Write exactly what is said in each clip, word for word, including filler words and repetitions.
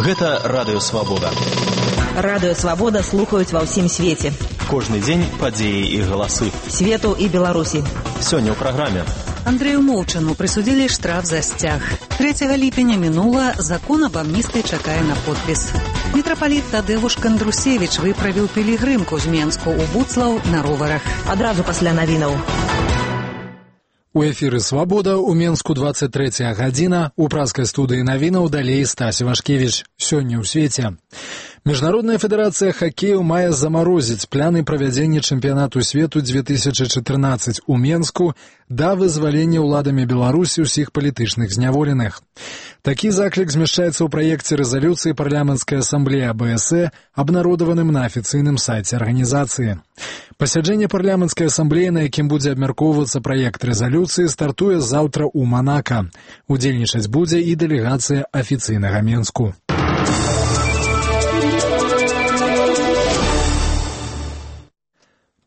Гэта Радыё Свабода. Радыё Свабода слухаюць ва ўсім свеце. Кожны дзень падзеі і галасы. Свету і Беларусі. Сёння ў праграме. Андрею Моўчану присудили штраф за стяг. третьего ліпеня мінула, закон об амністыі чакае на подпіс. Мітрапаліт Тадеуш Кандрусевич выправіў пілігрымку з Менску ў Буцлаў на роварах. Адразу пасля навінаў. У эфіры «Свабода» у Менску двадцать третья гадзіна, у празкай студыі навінаў далей Стась Вашкевіч. Сёння ў свеце. Міжнародная федэрацыя хакею мае замарозіць пляны правядзення чэмпіянату свету две тысячи чатырнаццаць у Менску да вызвалення ўладамі Беларусі ўсіх палітычных зняволеных. Такі заклік змяшчаецца ў праекце рэзалюцыі парламенцкай асамблеі А Бэ Эс Э, абнародаваным на афіцыйным сайце арганізацыі. Пасяджэнне парламенцкай асамблеі, на якім будзе абмяркоўвацца праект рэзалюцыі, стартуе заўтра ў Манака. Удзельнічаць будзе і дэлегацыя афіцыйнага Менску.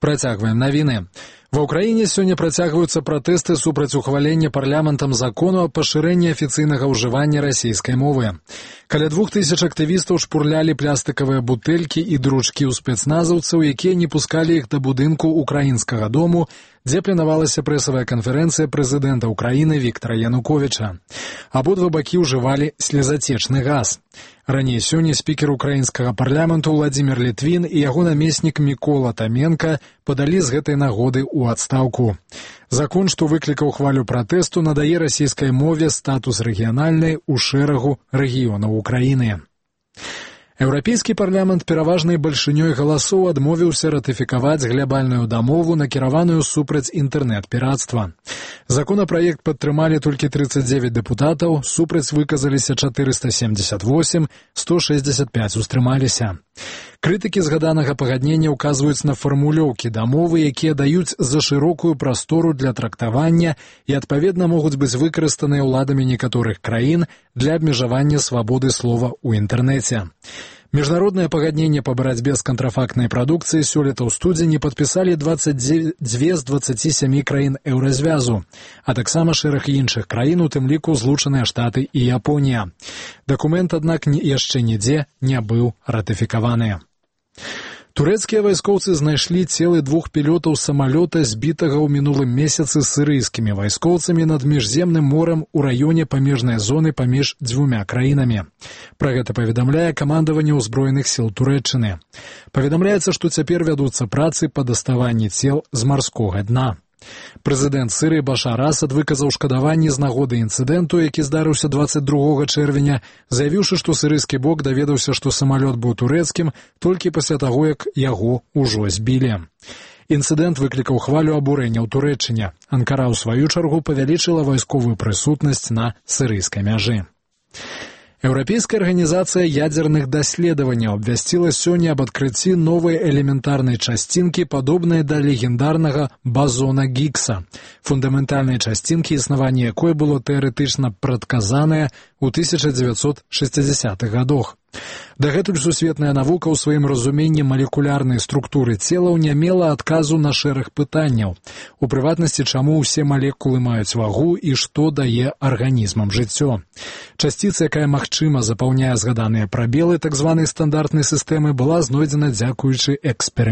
Працягваем навіны. Ва ўкраіне сёння працягваюцца пратэсты супраць ухвалення парламентам закону аб пашырэнні афіцыйнага ўжывання расійскай мовы. Каля двух тысяч актывістаў шпурлялі пластыкавыя бутэлькі і дручкі ў спецназаўцаў, якія не пускалі іх да будынку украінскага дому, дзе планавалася прэсавая канферэнцыя прэзідэнта Украіны Віктара Януковіча. Абодва бакі ўжывалі слезацечны газ. Раней сёння спікер украінскага парламенту Владзімір Літвін і яго намеснік Мікола Таменка падалі з гэтай нагоды ў адстаўку. Закон, што выклікаў хвалю пратэсту, надае расійскай мове статус рэгіянальнай у шэрагу рэгіёнаў Украіны. Еўрапейскі парламент пераважнай бальшынёй галасоў адмовіўся ратыфікаваць глябальную дамову, накіраваную супраць інтэрнэт-пірацтва. Законапраект падтрымалі толькі тридцать девять дэпутатаў, супраць выказаліся четыреста семьдесят восемь, сто шестьдесят пять устрымаліся. Крытыкі згаданага пагаднення ўказваюць на фармулёўкі дамовы, якія даюць за шырокую прастору для трактавання і, адпаведна, могуць быць выкарыстаныя ўладамі некаторых краін для абмежавання свабоды слова ў інтэрнэце. Міжнароднае пагадненне па барацьбе з кантрафактнай прадукцыяй сёлета ў студзені падпісалі двадцать две з двадцаці сямі краін еўразвязу, а таксама шэраг іншых краін, у тым ліку Злучаныя Штаты і Японія. Дакумент, аднак, яшчэ нідзе не быў ратыфікаваны. Турэцкія вайскоўцы знайшлі целы двух пілётаў самалёта, збітага ў мінулым месяцы сірыйскімі вайскоўцамі над міжземным морам у раёне памежнай зоны паміж дзвюмя краінамі. Пра гэта паведамляе камандаванне ўзброеных сіл Турэччыны. Паведамляецца, што цяпер вядуцца працы па даставанні цел з марскога дна. Прэзідэнт Сірыі Башар Асад выказаў шкадаванне з нагоды інцыдэнту, які здарыўся двадцать другога чэрвеня, заявіўшы, што сірыйскі бок даведаўся, што самалёт быў турэцкім толькі пасля таго, як яго ўжо збілі. Інцыдэнт выклікаў хвалю абурэння ў Турэччыне. Анкара, ў сваю чаргу, павялічыла вайсковую прысутнасць на сірыйскай мяжы. Еўрапейская арганізацыя ядзерных даследаванняў абвясціла сёння аб адкрыцці новай элементарнай часцінкі, падобнай да легендарнага базона Гіггса, фундаментальнай часцінкі, існаванне якой было тэарэтычна прадказанае ў тысяча дзевяцьсот шэсцідзесятых гадах. Дагэтуль сусветная навука ў сваім разуменні малекулярнай структуры целаў не мела адказу на шэраг пытанняў. У прыватнасці, чаму ўсе малекулы маюць вагу і што дае арганізмам жыццё. Часціца, якая магчыма запаўняе згаданыя прабелы так званай стандартнай сістэмы, была знойдзена дзякуючы эксперыментам.